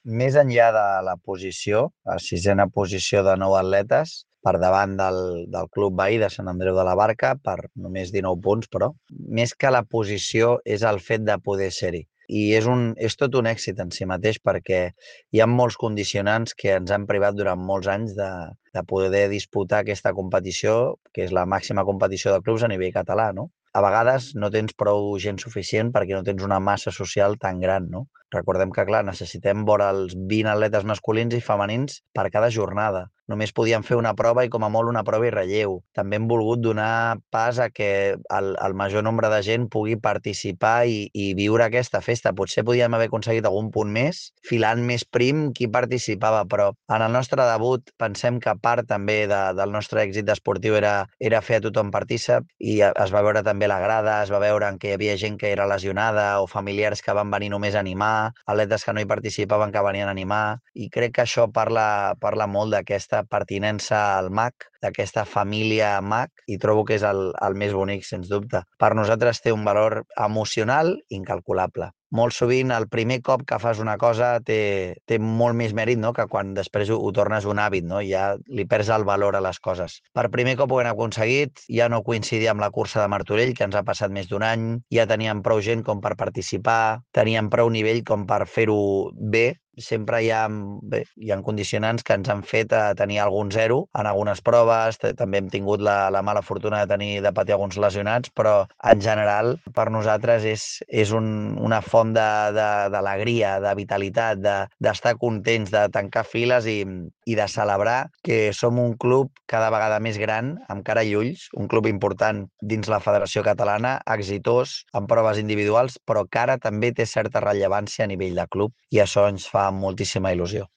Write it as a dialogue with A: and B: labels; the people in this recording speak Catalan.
A: més enllà de la posició, a sisena posició de 9 atletes, per davant del club veí de Sant Andreu de la Barca, per només 19 punts, però més que la posició és el fet de poder ser-hi. I és tot un èxit en si mateix perquè hi ha molts condicionants que ens han privat durant molts anys de poder disputar aquesta competició, que és la màxima competició de clubs a nivell català, no? A vegades no tens prou gent suficient perquè no tens una massa social tan gran, no? Recordem que, clar, necessitem vora els 20 atletes masculins i femenins per cada jornada. Només podíem fer una prova i com a molt una prova i relleu. També hem volgut donar pas a que el major nombre de gent pugui participar i viure aquesta festa. Potser podíem haver aconseguit algun punt més, filant més prim qui participava, però en el nostre debut pensem que part també del nostre èxit esportiu era fer a tothom partícip i es va veure també la grada, es va veure que hi havia gent que era lesionada o familiars que van venir només a animar, atletes que no hi participaven que venien a animar, i crec que això parla molt d'aquesta pertinença al MAC, d'aquesta família MAC, i trobo que és el més bonic, sens dubte. Per nosaltres té un valor emocional incalculable. Molt sovint el primer cop que fas una cosa té molt més mèrit, no?, que quan després ho tornes un hàbit, no? Ja li perds el valor a les coses. Per primer cop ho hem aconseguit, ja no coincidia amb la cursa de Martorell, que ens ha passat més d'un any, ja teníem prou gent com per participar, teníem prou nivell com per fer-ho bé. Sempre hi ha condicionants que ens han fet tenir algun zero en algunes proves, també hem tingut la mala fortuna de patir alguns lesionats, però en general per nosaltres és una font d'alegria, de vitalitat, d'estar contents, de tancar files i de celebrar que som un club cada vegada més gran, amb cara i ulls, un club important dins la Federació Catalana, exitós en proves individuals, però que ara també té certa rellevància a nivell de club, i això ens fa moltíssima il·lusió.